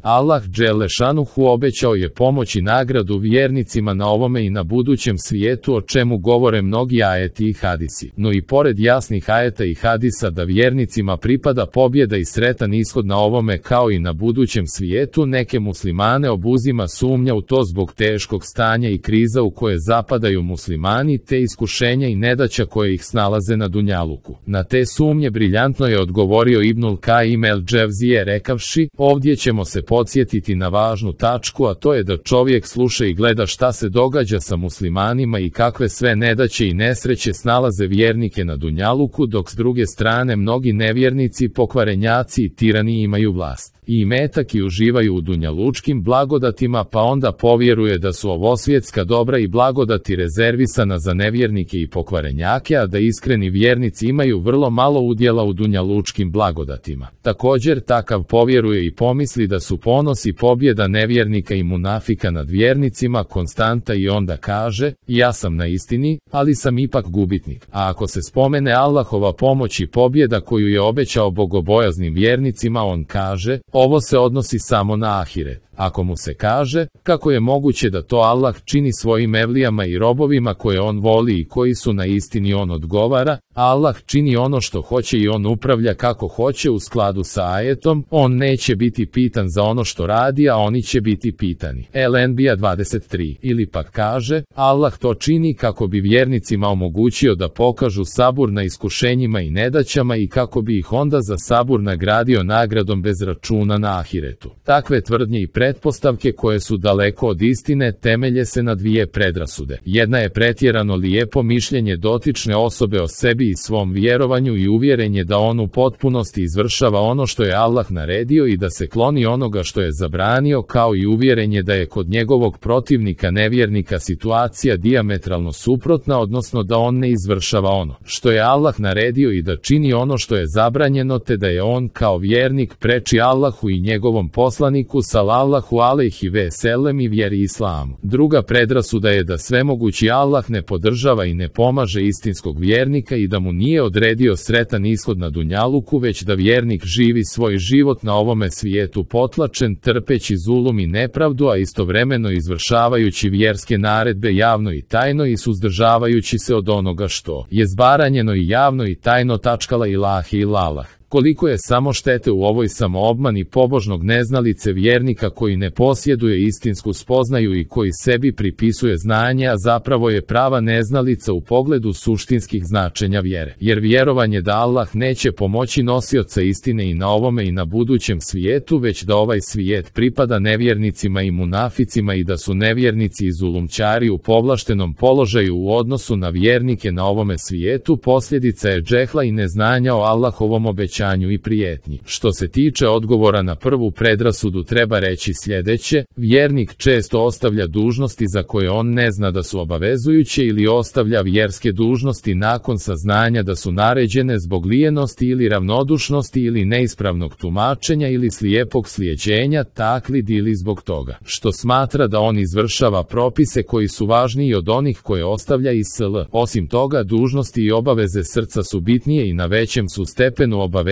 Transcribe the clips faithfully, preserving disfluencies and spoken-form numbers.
Allah dželešanuhu obećao je pomoć i nagradu vjernicima na ovome i na budućem svijetu, o čemu govore mnogi ajeti i hadisi. No i pored jasnih ajeta i hadisa da vjernicima pripada pobjeda i sretan ishod na ovome kao i na budućem svijetu, neke muslimane obuzima sumnja u to zbog teškog stanja i kriza u koje zapadaju muslimani, te iskušenja i nedaća koje ih snalaze na dunjaluku. Na te sumnje briljantno je odgovorio Ibnul Kajim el Dževzije rekavši: ovdje ćemo se podsjetiti na važnu tačku, a to je da čovjek sluša i gleda šta se događa sa muslimanima i kakve sve nedaće i nesreće snalaze vjernike na dunjaluku, dok s druge strane mnogi nevjernici, pokvarenjaci i tirani imaju vlast i imetak i uživaju u dunjalučkim blagodatima, pa onda povjeruje da su ovosvjetska dobra i blagodati rezervisana za nevjernike i pokvarenjake, a da iskreni vjernici imaju vrlo malo udjela u dunjalučkim blagodatima. Također takav povjeruje i pomisli da su ponos i pobjeda nevjernika i munafika nad vjernicima konstanta i onda kaže: ja sam na istini, ali sam ipak gubitnik. A ako se spomene Allahova pomoć i pobjeda koju je obećao bogobojaznim vjernicima, on kaže: ovo se odnosi samo na ahiret. Ako mu se kaže kako je moguće da to Allah čini svojim evlijama i robovima koje on voli i koji su na istini, on odgovara: Allah čini ono što hoće i on upravlja kako hoće u skladu sa ajetom, on neće biti pitan za ono što radi, a oni će biti pitani. El Enbija dvadeset tri. Ili pak kaže: Allah to čini kako bi vjernicima omogućio da pokažu sabur na iskušenjima i nedaćama i kako bi ih onda za sabur nagradio nagradom bez računa na ahiretu. Takve tvrdnje i pretpostavke koje su daleko od istine temelje se na dvije predrasude. Jedna je pretjerano lijepo mišljenje dotične osobe o sebi i svom vjerovanju i uvjerenje da on u potpunosti izvršava ono što je Allah naredio i da se kloni onoga što je zabranio, kao i uvjerenje da je kod njegovog protivnika nevjernika situacija dijametralno suprotna, odnosno da on ne izvršava ono što je Allah naredio i da čini ono što je zabranjeno, te da je on kao vjernik preči Allahu i njegovom poslaniku sallallahu alejhi ve sellem i vjeri islamu. Druga predrasuda je da svemogući Allah ne podržava i ne pomaže istinskog vjernika i da mu nije odredio sretan ishod na dunjaluku, već da vjernik živi svoj život na ovome svijetu potlačen, trpeći zulum i nepravdu, a istovremeno izvršavajući vjerske naredbe javno i tajno i suzdržavajući se od onoga što je zbaranjeno i javno i tajno. Tačkala ilahi ilalah. Koliko je samo štete u ovoj samoobmani pobožnog neznalice vjernika koji ne posjeduje istinsku spoznaju i koji sebi pripisuje znanje, a zapravo je prava neznalica u pogledu suštinskih značenja vjere. Jer vjerovanje da Allah neće pomoći nosioca istine i na ovome i na budućem svijetu, već da ovaj svijet pripada nevjernicima i munaficima i da su nevjernici i zulumčari u povlaštenom položaju u odnosu na vjernike na ovome svijetu, posljedica je džehla i neznanja o Allahovom obećanju i prijetnji. Što se tiče odgovora na prvu predrasudu, treba reći sljedeće: vjernik često ostavlja dužnosti za koje on ne zna da su obavezujuće ili ostavlja vjerske dužnosti nakon saznanja da su naređene zbog lijenosti ili ravnodušnosti ili neispravnog tumačenja ili slijepog slijeđenja, taklid, ili zbog toga što smatra da on izvršava propise koji su važniji od onih koje ostavlja i sl. Osim toga, dužnosti i obaveze srca su bitnije i na većem su stepenu obaveznosti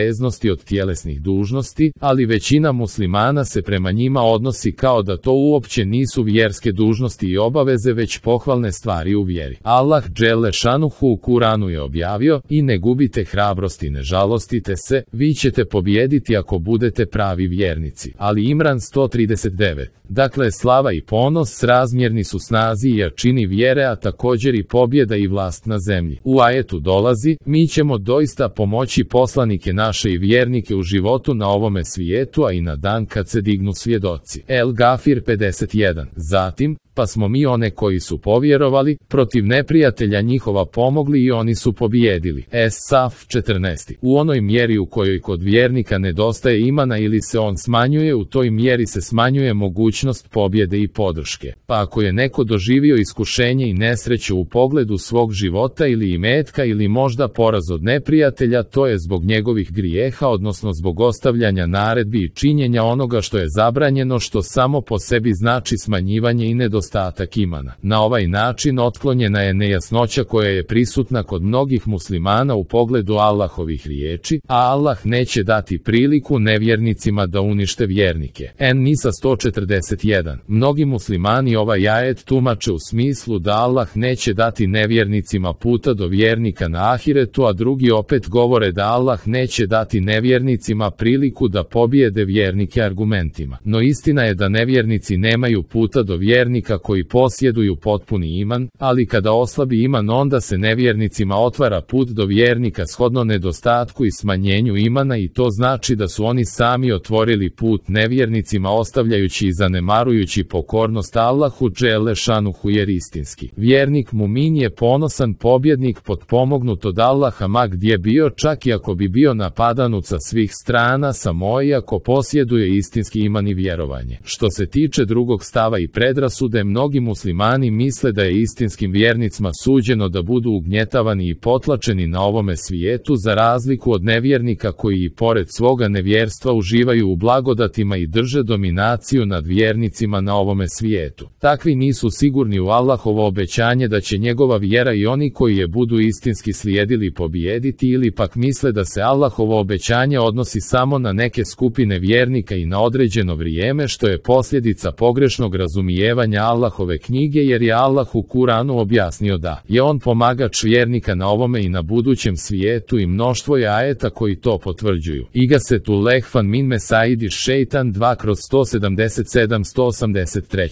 od tjelesnih dužnosti, ali većina muslimana se prema njima odnosi kao da to uopće nisu vjerske dužnosti i obaveze, već pohvalne stvari u vjeri. Allah dželešanuhu u Kuranu je objavio: i ne gubite hrabrost i ne žalostite se, vi ćete pobijediti ako budete pravi vjernici. Ali Imran sto trideset devet. Dakle, slava i ponos srazmjerni su snazi i jačini vjere, a također i pobjeda i vlast na zemlji. U ajetu dolazi: mi ćemo doista pomoći poslanike naše i vjernike u životu na ovome svijetu, a i na dan kad se dignu svjedoci. El Gafir pedeset jedan. Zatim, pa smo mi one koji su povjerovali, protiv neprijatelja njihova pomogli i oni su pobijedili. Es-Saf četrnaest. U onoj mjeri u kojoj kod vjernika nedostaje imana ili se on smanjuje, u toj mjeri se smanjuje mogućnost pobjede i podrške. Pa ako je neko doživio iskušenje i nesreću u pogledu svog života ili imetka ili možda poraz od neprijatelja, to je zbog njegovih grijeha, odnosno zbog ostavljanja naredbi i činjenja onoga što je zabranjeno, što samo po sebi znači smanjivanje i nedostatak nedostatak imana. Na ovaj način otklonjena je nejasnoća koja je prisutna kod mnogih muslimana u pogledu Allahovih riječi, a Allah neće dati priliku nevjernicima da unište vjernike. En-Nisa sto četrdeset jedan. Mnogi muslimani ovaj ajet tumače u smislu da Allah neće dati nevjernicima puta do vjernika na ahiretu, a drugi opet govore da Allah neće dati nevjernicima priliku da pobijede vjernike argumentima. No istina je da nevjernici nemaju puta do vjernika koji posjeduju potpuni iman, ali kada oslabi iman onda se nevjernicima otvara put do vjernika shodno nedostatku i smanjenju imana, i to znači da su oni sami otvorili put nevjernicima ostavljajući i zanemarujući pokornost Allahu dželle šanuhu, jer istinski vjernik mumin je ponosan pobjednik potpomognut od Allaha ma gdje bio, čak i ako bi bio napadanut sa svih strana, samo i ako posjeduje istinski iman i vjerovanje. Što se tiče drugog stava i predrasude, mnogi muslimani misle da je istinskim vjernicima suđeno da budu ugnjetavani i potlačeni na ovome svijetu, za razliku od nevjernika koji i pored svoga nevjerstva uživaju u blagodatima i drže dominaciju nad vjernicima na ovome svijetu. Takvi nisu sigurni u Allahovo obećanje da će njegova vjera i oni koji je budu istinski slijedili pobijediti, ili pak misle da se Allahovo obećanje odnosi samo na neke skupine vjernika i na određeno vrijeme, što je posljedica pogrešnog razumijevanja Allahove knjige, jer je Allah u Kuranu objasnio da je on pomagač vjernika na ovome i na budućem svijetu, i mnoštvo je ajeta koji to potvrđuju. Igasetu lehfan min mesaidi šeitan dva kroz sto sedamdeset sedam sto osamdeset tri.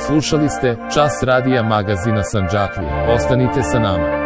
Slušali ste Čas radija magazina Sandžaklija. Ostanite sa nama.